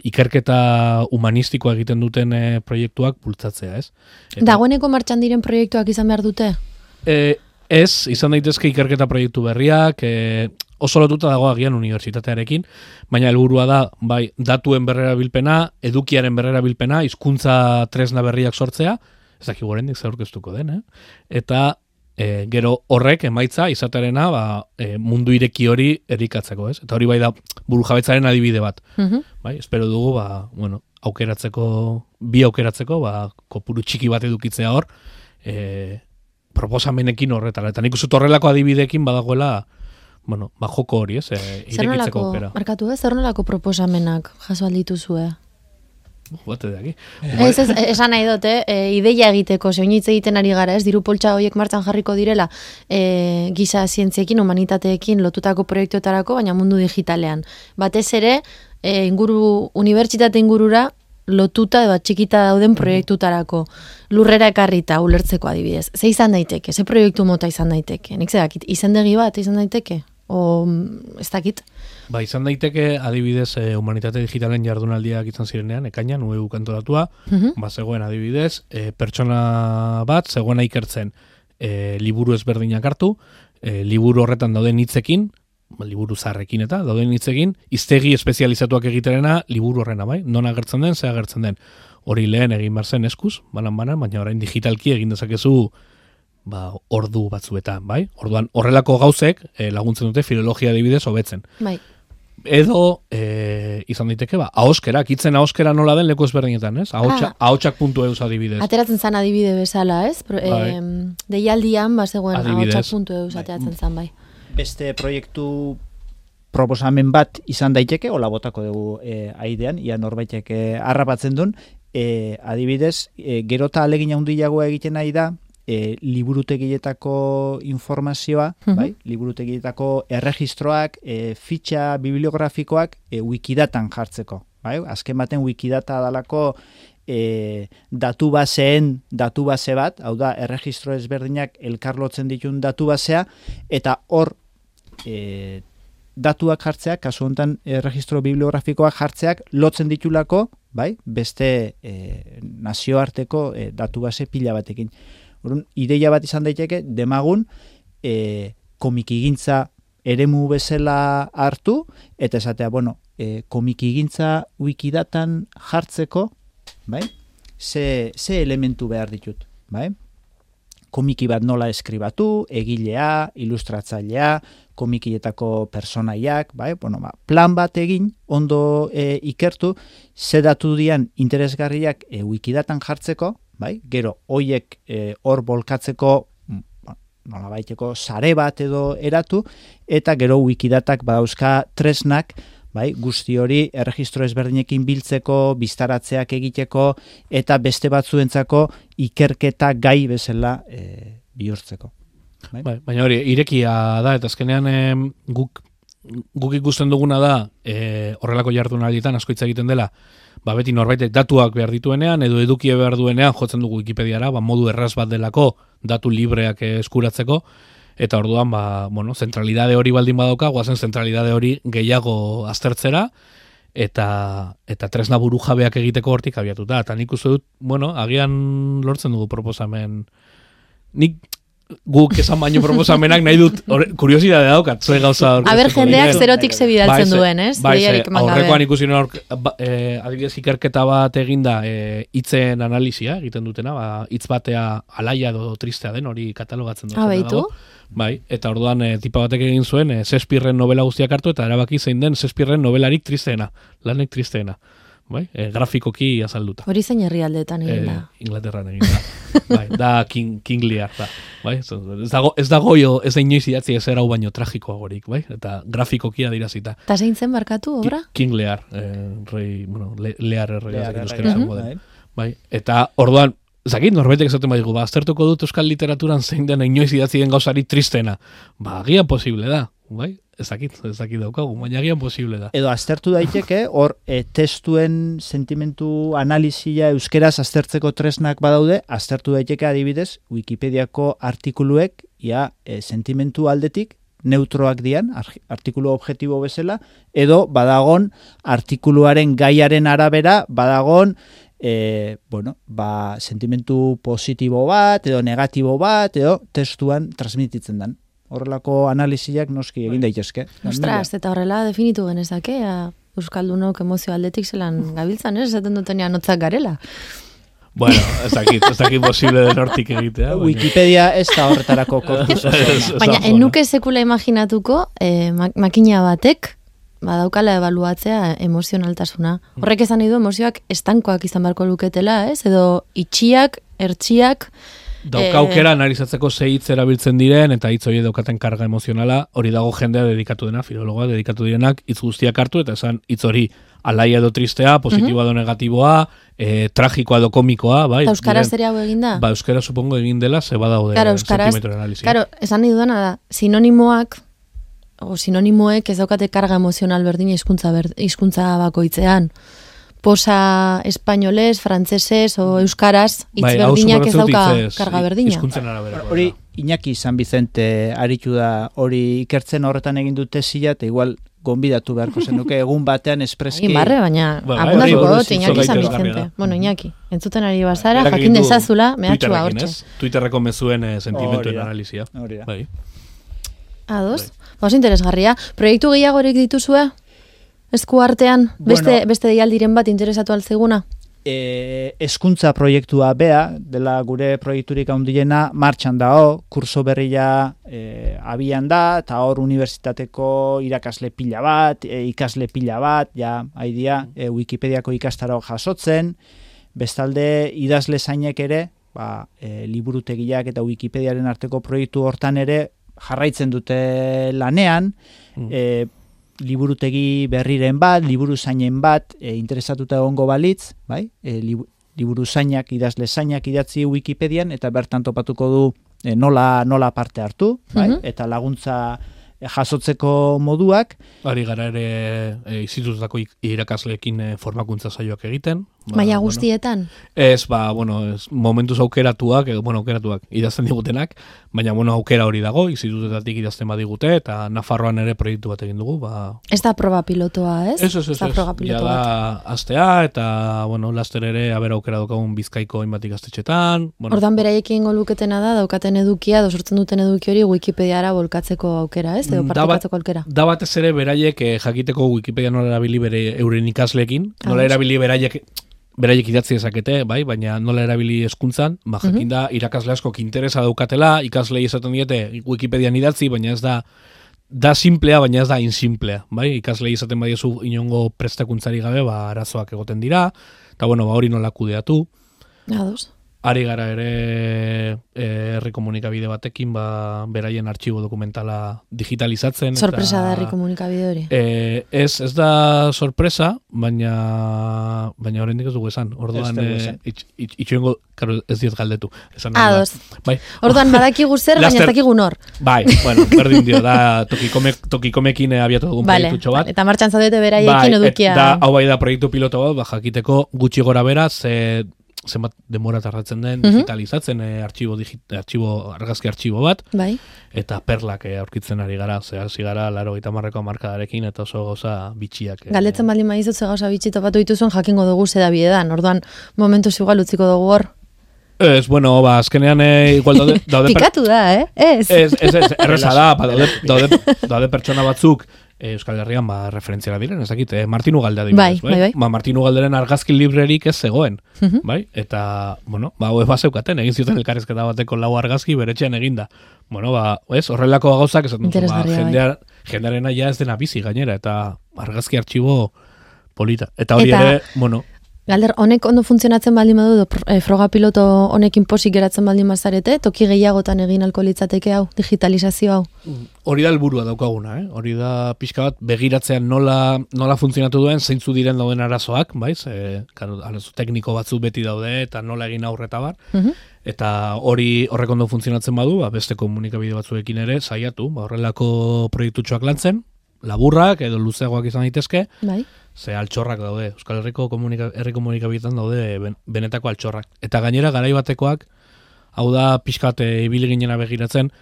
ikerketa humanistikoa egiten duten proiektuak bultzatzea, ez? Dagoeneko martxan diren proiektuak izan behar dute? Ez, izan daitezke ikerketa proiektu berriak, oso lotuta dago agian unibertsitatearekin, baina helburua da, datuen berrerabilpena, edukiaren berrerabilpena, hizkuntza tresna berriak sortzea, ez dakik gorendik zaurkeztuko den, eta gero horrek emaitza izatearena mundu ireki hori erikatzeko, ez? Eta hori da burujabetzaren adibide bat. Espero dugu, bi aukeratzeko, kopuru txiki bat edukitzea hor, proposamenekin horretara. Eta nik uste horrelako adibideekin badagoela, joko hori, ez? Irekitzeko aukera. Markatu, zer nolako proposamenak jaso aldituzue? Bate de aquí. Esan nahi dute, ideia egiteko, zeoinitze egiten ari gara, ez? Diru poltsa horiek martxan jarriko direla, giza zientziekin, humanitateekin lotutako proiektuetarako, baina mundu digitalean. Batez ere, unibertsitate ingurura, lotuta txikita dauden proiektutarako lurrera ekarrita ulertzeko adibidez. Ze izan daiteke? Ze proiektu mota izan daiteke? Nik zedakit, izendegi bat izan daiteke? O ez dakit? Izan daiteke adibidez humanitate digitalen jardunaldiak izan zirenean, ekainan, UEU kantoratua, zegoen adibidez, pertsona bat, zegoena ikertzen liburu ezberdinak hartu, liburu horretan dauden hitzekin, liburu zaharrekin eta dauden hitzekin, hiztegi espezializatuak egiterena liburu horrena, non agertzen den, ze agertzen den. Hori lehen egin behar zen eskuz, banan, baina orain digitalki egin dezakezu ordu batzuetan, Orduan, horrelako gauzek laguntzen dute filologia adibidez hobetzen. Edo, izan daiteke, ahoskerak, hitzen ahoskera nola den leku ezberdinetan, ez? Ahotsak.eus adibidez. Ateratzen zan adibide bezala, ez? Deialdian, zegoen ahotsak.eus ateratzen zan, Beste proiektu proposamen bat izan daiteke, hola botako dugu aidean, ia norbaitek harrapatzen duen, adibidez, gerota alegin handiagoa egiten nahi da, liburutegietako informazioa, liburutegietako erregistroak, fitxa bibliografikoak wikidatan jartzeko. Azken baten wikidata dalako datu base bat, hau da, erregistro ezberdinak elkarlotzen ditun datu basea, eta hor datuak jartzeak, kasu honetan erregistro bibliografikoak jartzeak lotzen ditulako, beste nazioarteko datu base pila batekin. Orduan, ideia bat izan daiteke, demagun komikigintza eremu bezala hartu, eta esatea, komikigintza wikidatan jartzeko, ze elementu behar ditut, komiki bat nola eskribatu, egilea, ilustratzailea, komikietako personaiak, plan bat egin, ondo ikertu, ze datu dian interesgarriak wikidatan jartzeko, gero, hoiek hor bolkatzeko, nola baiteko, sare bat edo eratu, eta gero wikidatak badauzka tresnak, guzti hori erregistro ezberdinekin biltzeko, biztaratzeak egiteko, eta beste batzuentzako ikerketa gai bezala bihurtzeko. Baina hori, irekia da, eta azkenean guk ikusten duguna da, horrelako jardunaldietan asko hitz egiten dela, beti norbaitek datuak behar dituenean, edo edukie behar duenean, jotzen dugu Wikipediara, modu erraz bat delako datu libreak eskuratzeko, eta orduan, zentralidade hori baldin badauka, guazen zentralidade hori gehiago aztertzera, eta tresna burujabeak egiteko hortik abiatuta. Eta nik uste dut, agian lortzen dugu proposamen. Guk esan baino proposamenak nahi dut, kuriosidade daukat, zue gauza hor. Aber, jendeak zerotik zebidaltzen duen, ez? Aurrekoan ikusi nuen adibidez ikerketa bat eginda hitzen analizia egiten dutena, hitz batea alaia edo tristea den hori katalogatzen dut. Baitu? Bai, eta orduan tipa batek egin zuen Shakespearen novela guztiak hartu eta erabaki zein den Shakespearen novelarik tristeena, lanek tristeena. Bai, grafikoki azalduta. Hori zein herrialdeetan egin da? Inglaterran egin da. Bai, da King Lear da. Bai, ez dago ez da inoiz idatzi ez erau baino tragikoagorik, bai? Eta grafikoki adirazita. Ta zein zen barkatu obra? King Lear, rei, bueno, Lear errega euskera bai, eta orduan zakit, norbaitek esaten badigu, aztertuko dut euskal literaturan zein den inoiz idatzi den gauzari tristena. Agian posible da, bai? Ez dakit daukagu, baina agian posible da. Edo aztertu daiteke, hor testuen sentimentu analizia euskeraz aztertzeko tresnak badaude, aztertu daiteke adibidez, Wikipediako artikuluek, sentimentu aldetik, neutroak dian, artikulu objektibo bezala, edo badagon artikuluaren gaiaren arabera, badagon sentimentu positibo bat, edo negatibo bat, edo testuan transmititzen dan. Horrelako analiziak noski egin daitezke. Ostras, eta horrela definitu genezake, euskaldunok emozio aldetik zelan gabiltzan, esaten dutenean notzak garela. Bueno, ez dakit posible den hortik egitea. Wikipedia ez da horretarako korpus. Baina, enuke sekula imaginatuko, makina batek, badaukala ebaluatzea emozionaltasuna. Horrek esan nahi du emozioak estankoak izan barko luketela, ez? Edo itxiak, ertxiak, daukaukera analizatzeko ze hitz erabiltzen diren eta hitz horiek daukaten karga emozionala, hori dago jendea dedikatu dena, filologoa dedikatu direnak hitz guztiak hartu eta esan hitz hori alaia edo tristea, positiboa edo negatiboa, tragikoa edo komikoa, bai. Eta euskaraz ere hau egin da? Ba, euskara supongo egin dela, ze badaude sentimetro analizia. Claro, esan nahi dudana da, sinonimoak o sinonimoek ez daukate karga emozional berdina hizkuntza bakoitzean. Posa espainolez, frantsesez o euskaraz hitz berdinak ez dauka karga berdina. Hori Iñaki San Vicente aritu da hori ikertzen horretan egin dute tesia eta igual gonbidatu beharko zenuke egun batean espreski. Baina abundatuko dut Iñaki San Vicente. Bueno, Iñaki, entzuten ari bazara, jakin dezazula, mehatxua hortxe. Twitterreko mezuen sentimentuen analizia. Bai. Ados? Oso interesgarria. Proiektu gehiagorik dituzue? Esku artean, beste deialdiren bat interesatu altzeguna? Hezkuntza proiektua dela gure proiekturik handiena martxan dao, kurso berria abian da, eta hor unibertsitateko irakasle pila bat, ikasle pila bat, haidia Wikipediako ikastaro jasotzen, bestalde idazle zainek ere, liburutegiak eta Wikipediaren arteko proiektu hortan ere jarraitzen dute lanean, liburutegi berriren bat, liburu zainen bat, interesatuta egongo balitz, bai? Liburu zainak, idazle zainak idatzi Wikipedian, eta bertan topatuko du nola parte hartu, bai? Eta laguntza jasotzeko moduak. Ari gara ere institututako irakasleekin formakuntza saioak egiten. Baina guztietan? Ez, momentuz aukeratuak, idazten digutenak, baina aukera hori dago, institutetatik idazten badigute, eta Nafarroan ere proiektu bat egin dugu. Ez da proba pilotoa, ez? Ez. Ja da astea, eta, laster ere aukera daukagun Bizkaiko hainbat ikastetxetan. Ordan beraiekin goluketena da, daukaten edukia, sortzen duten eduki hori Wikipediara bolkatzeko aukera, ez? Edo partekatzeko aukera. Da batez ere beraiek jakiteko Wikipedia nola erabili bere euren ikasleekin, nola erabili beraiek idatzi dezakete, bai, baina nola erabili hezkuntzan, jakin da irakasle askok interesa daukatela, ikaslei esaten diete Wikipedian idatzi, baina ez da simplea, baina ez da insimplea, bai, ikaslei esaten badiezu inongo prestakuntzari gabe, arazoak egoten dira, eta hori nola kudeatu. Ados. Ari gara ere herri komunikabide batekin, beraien artxibo dokumentala digitalizatzen. Sorpresa da herri komunikabide hori? Ez da sorpresa, baina oraindik ez dugu esan. Orduan, itxoengo, ez diet galdetu. Ados. Orduan, badakigu zer, baina ez dakigu nor. Bai, berdin dio, da tokikomekin abiatu dugun proiektutxo bat. Eta martxan zaudete beraiekin edukia. Da, hau bai da proiektu piloto bat, jakiteko gutxi gora bera, zenbat demora tardatzen den digitalizatzen argazki artxibo bat, eta perlak aurkitzen ari gara, hasi gara 80ko markadarekin, eta oso gauza bitxiak. Galdetzen baldin badizut ze gauza bitxi topatu dituzuen jakingo dugu zeda bidedan, orduan momentuz igual utziko dugu hor. Ez, azkenean igual daude... Pikatu da, Ez, erreza da, daude pertsona batzuk Euskal Herrian referentziara diren, ez dakit, Martin Ugalde adibidez, bai. Martin Ugalderen argazki librerik ez zegoen, bai? Eta, bueno, hauek bazeukaten, egin zuten elkarrezketa bateko 4 argazki beretxean eginda. Bueno, horrelako gauzak esaten duzu, jendearena ja ez dena bizi gainera, eta argazki artxibo polita. Eta hori ere, bueno... Galder, honek ondo funtzionatzen baldin badu, froga piloto honekin posik geratzen baldin bazarete, toki gehiagotan egin alko litzateke hau, digitalizazio hau? Hori da helburua daukaguna, hori da pixka bat begiratzean nola funtzionatu duen, zeintzu diren dauden arazoak, baiz? Arazo tekniko batzuk beti daude, eta nola egin aurreta bar. Eta horrek ondo funtzionatzen badu, beste komunikabide batzuekin ere saiatu, horrelako proiektutxoak lantzen, laburrak edo luzeagoak izan daitezke, bai. Ze altxorrak daude, Euskal Herriko herri komunikabidetan daude benetako altxorrak. Eta gainera garai batekoak, hau da pixkat ibili ginena begiratzen,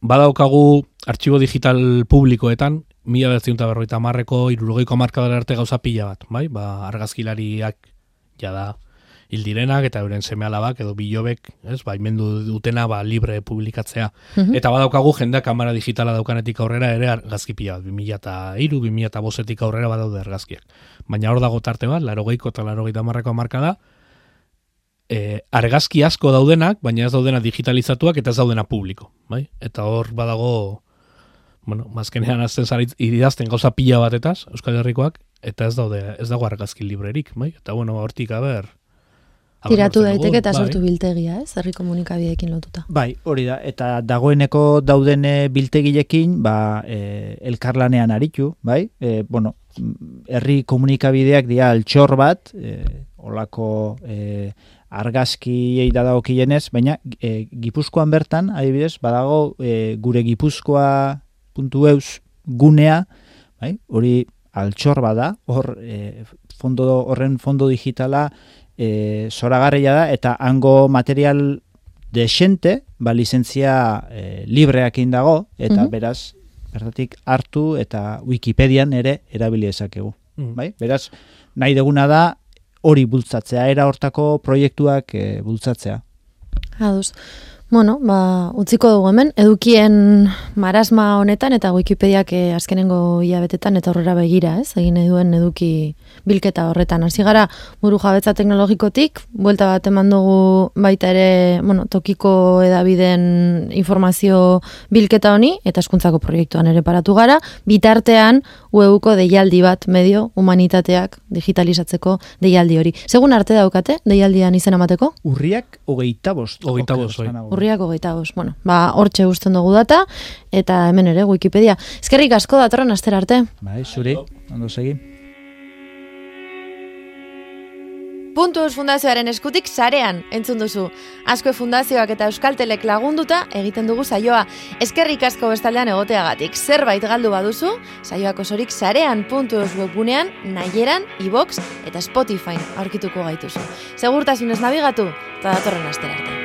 badaukagu artxibo digital publikoetan, 1950ko 60ko hamarkadara arte gauza pila bat, bai? Argazkilariak jada hil direnak eta euren seme-alabak edo bilobek, baimendu dutena libre publikatzea. Eta badaukagu jendeak kamera digitala daukanetik aurrera ere argazki pila bat, 2003, 2005etik aurrera badaude argazkiak. Baina hor dago tarte bat, 80ko eta 80ko hamarkada, argazki asko daudenak, baina ez daudena digitalizatuak eta ez daudena publiko, bai? Eta hor badago, bueno, mazkenean azten idazten gauza pila batetaz, Euskal Herrikoak, eta ez dago argazki librerik, bai? Eta bueno, hortik tiratu daiteke eta sortu biltegia, herri komunikabideekin lotuta. Bai, hori da, eta dagoeneko dauden biltegilekin, elkarlanean aritu, bai? Bueno, herri komunikabideak dira altxor bat, olako argazkiei dadagokienez, baina Gipuzkoan bertan, adibidez, badago gure gipuzkoa.eus gunea, bai? Hori altxor bada, horren fondo digitala zoragarria da, eta hango material desente, lizentzia libreak dago, eta beraz, bertatik hartu eta Wikipedian ere erabili dezakegu. Bai? Beraz, nahi deguna da hori bultzatzea, era hortako proiektuak bultzatzea. Aduz. Bueno, utziko dugu hemen, edukien marasma honetan eta Wikipediak azkenengo hilabetetan eta aurrera begira, egin duen eduki bilketa horretan. Hasi gara buru jabetza teknologikotik, buelta bat eman dugu baita ere, tokiko edabideen informazio bilketa honi, eta hezkuntzako proiektuan ere paratu gara, bitartean web-uko deialdi bat medio humanitateak digitalizatzeko deialdi hori. Segun arte daukate, deialdian izena emateko? Urriak 25. Urriak 25. Bueno, hortxe guztien dugu data, eta hemen ere Wikipedia. Eskerrik asko datorren astera arte. Bai, zuri, ondo segi. Puntus Fundazioaren eskutik sarean entzun duzu. Azkue Fundazioak eta Euskaltelek lagunduta egiten dugu saioa. Eskerrik asko bestaldean egoteagatik. Zerbait galdu baduzu, saioak osorik sarean Puntus webgunean, Nahieran, iVox eta Spotify aurkituko gaituzu. Segurtasunez nabigatu, eta datorren astera arte.